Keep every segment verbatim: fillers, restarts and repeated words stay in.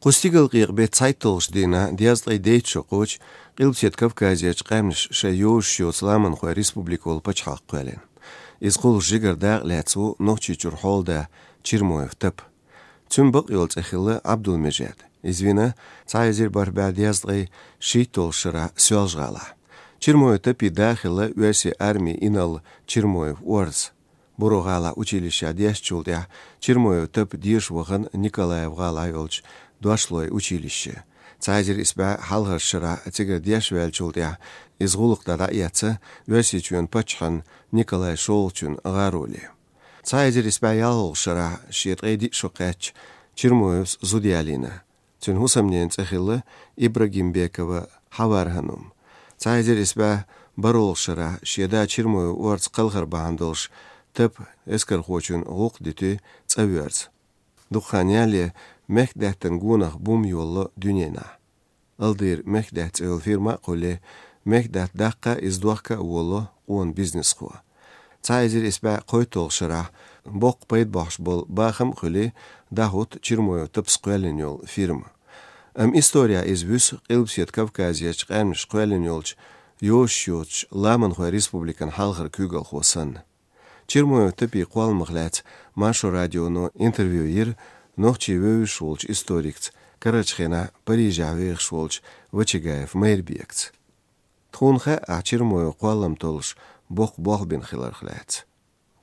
Кху стигалкъекъа бетта цхьайтталгӀачу дийнахь, дезткъе дейтта шо кхочу, Къилбаседа Кавказерчу къаьмнаш шайн йозуш йоцу ламанхойн республика волу пачхьалкх кхоьллина. Иза кхуллуш жигара дакъа лаьцна ву Нохчийчуьра хьолада Чермоев Тапа. Цуьнан бакъйолу цӀе хилла Ӏабдул-Межид. Иза вина цхьа эзар бархӀ бӀе дезткъе шийтталгӀачу шарахь Соьлжа-ГӀалахь. Чермоев Тапин да хилла оьрсийн армин инарла Чермоев Орза. Буро-ГӀалахь училищехь дешначул тӀаьхьа Чермоев Тапа деша вахана Николаев-ГӀалахь йолчу дошлойн училище. Цхьа эзар исс бӀе хьалхарчу шарахь цигара деш ваьллачул тӀаьхьа иза гӀуллакх дӀа дӀаэцна Оьрсийчоьнан паччахьан Николай шолгӀачун гӀароле. Цхьа эзар исс бӀе ялхалгӀачу шарахь шен ткъе диъ шо кхаьчча, Чермоевс зуда ялийна. Цуьнан хӀусамненан цӀе хилла Ибрагимбекова Хьавар-Ханум. Цхьа эзар исс бӀе бархӀалгӀачу шарахь шен да Чермоев Орза кхалхар бахьана долуш Тапа эскархочун гӀуллакх дитина цӀа воьрзу. Дукха хан ялале, мехкан даьттан гонах бум йолало дуьненахь. Алдира мехкан даьтта цӀе йолу фирма а кхулле, мехкан даьтта даккха а, иза дохка а волало къона бизнесхо. Цхьа эзар исс бӀе кхойтталгӀачу шарахь боккха пайда бохьуш болу бахам а хуьлий, дӀахӀутту Чермоев Тапас кхоьллина йолу фирма. Амма исторехь иза вуьсу Къилбаседа Кавказерчу къаьмнаш кхоьллина йолчу йозуш йоцучу ламанхойн республикан хьалхара куьйгалхо санна. Чермоев Тапин кхолламах лаьцна Маршо радионо интервью йира нохчийн вевзаш волчу историкца, карарчу хенахь Парижехь вехаш волчу Вачагаев Майрбекца. Тхуна хаьа ахь Чермоевн кхоллам толлуш боккха болх бина хиларх лаьцна.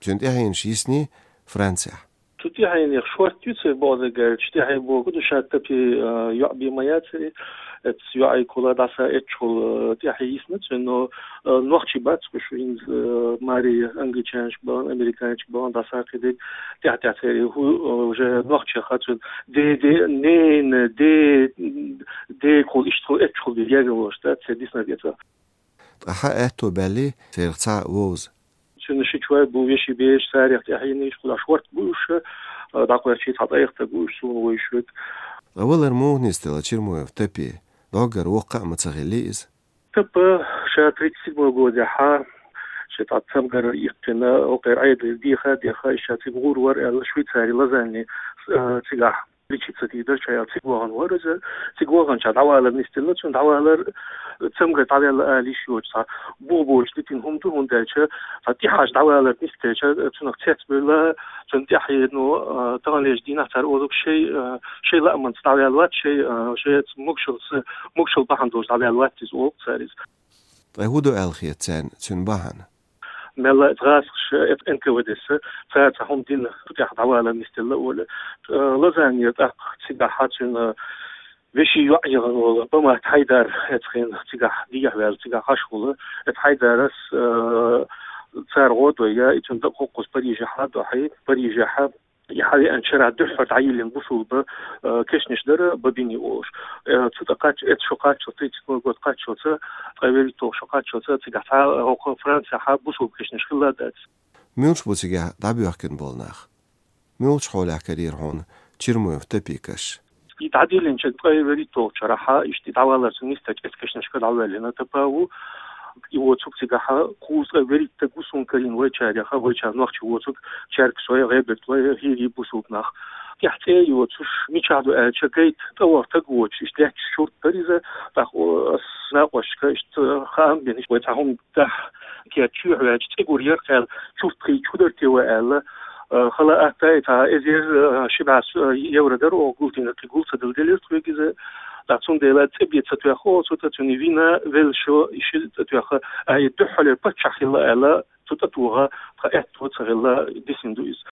Цуьнан тӀаьхьенаш йисний Францехь. Цу тӀаьхьенех шорта ю церан бакъдерг аьлча, тӀаьхье бохург ду ша Тапин, а, йоӀ бен ма яцара, эцу йоӀе кхула дӀаса эцчахула, а, тӀаьхье йисна цуьнан, но, а, нохчий бац уьш, хӀинца, а, маре англичанашка бахана, американашка бахана, дӀаса кхидерг тӀаьхь-тӀаьхьа церан хӀу, а, уже нохчех цуьнан де, де, ненан де, де кхула иштта кхула эцчахула бен гергарло дац церан диснарг эцна. Ткъа хьан аьтто баьллий церах цхьаъ вовза? Цуьнан ши чӀой бу, вешин бераш, царех тӀаьхьенаш, кхузахь шорта бу уьш, а, дӀакхоьрчий цхьа тӀаьхьа бу уьш, суна вуьйш верг. Ткъа валар муха нисделла Чермоев Тапин? ДӀоггара воккха а ма ца хиллий иза? Тапа ша тридцать седьмой годехь, ша цхьа цамгар иккхина, окхеран Ӏедалера деха, деха, ша цига гӀур вара аьлла, Швейцари, Лозанне, а, цигахь лечиться дийр дара ша аьлла, цига вахана вара иза. Цига ваханчохь дӀавалар нисделла цуьнан, дӀавалар цамгар дӀаваьлла ала йиш йоцуш цхьа бух боцуш дитина хӀума ду, хӀунда аьлча цхьа тӀехьашха дӀавалар нисделча, цунах цецбевлла, цунна тӀаьхье, ну, а, таханлерчу дийнахь цара олург шайн, а, шайн лаамца дӀаваьлла вац, шайн, а, шайн могушаллица, могушалла бахьана долуш дӀаваьлла вац иза олу цара иза. Ткъа хӀун ду аьлла хета царна цуьнан бахьана? Мелла а гӀазкхаша, э, Н К В Д-са, цара цхьа хӀума дина, цу тӀехь дӀавалар нисделла олу. Э, Лозаннера тӀаккха цигахь цуьнан вешин йоӀ яхана волу Бамат Хьайдар, эцхьана цигахь дехьаваьлла, цигахь хьашт волу. Эцу Хьайдарас, э, цара гӀо а дой, и цуьнан дакъа хӀокхуза Парижехь а дохьий, Парижехь а и хьавеанчу шарахь дуьххьара дӀайиллина бусулба, э, кешнаш дара Бобини олуш. Э, цу тӀа кхаччалц, эцу шо кхаччалц, тридцать седьмой год кхаччалца, ткъе вуьрхӀитталгӀа шо кхаччалца, цигахь цхьа хӀокху Францехь бусулба кешнаш хилла дац. Муьлш бу цигахь дӀабоьхкина болу нах? Муьлхачу хьолехь карийра хьуна Чермоев Тапин каш? И дӀадиллинчу ткъе вуьрхӀитталгӀачу шарахь, иштта дӀавалар цуьнан нисдечу эцу кешнашка дӀавоьллина Тапа ву. И воцург цигахь кхузткъе вуьрхӀитта гу суна карийна вайчарех, вайчара нохчий воцург, Черкесой, ГӀебертӀой, хӀирий бусулба нах. ТӀехь цӀе а йоцуш, мичахь ду аьлча, гайта тӀе ваха стаг воцуш, иштта лаьтташ шурт дара иза, тӀаккха, о, ас накъосташка иштта хаам бина, иштта вай цхьа хӀума дахь, кхетта чоьхьа ваьлча, цӀе гур яра кхел, чурт хи чу дара те вай аьлла, э, хала атта и цхьа эзар, э, ши бӀе, э, евро дара оха гулдина, кхин гул ца дала делира тхоьга иза. ТӀаккха цундела цӀе бен ца тоьхна оха цу тӀа, цуьнан вина, велла шо, и ши тӀе тоьхна, а и дуьххьалера паччахь хилла аьлла, цу тӀе тоха тхан аьтто ца хилла, дисина ду иза.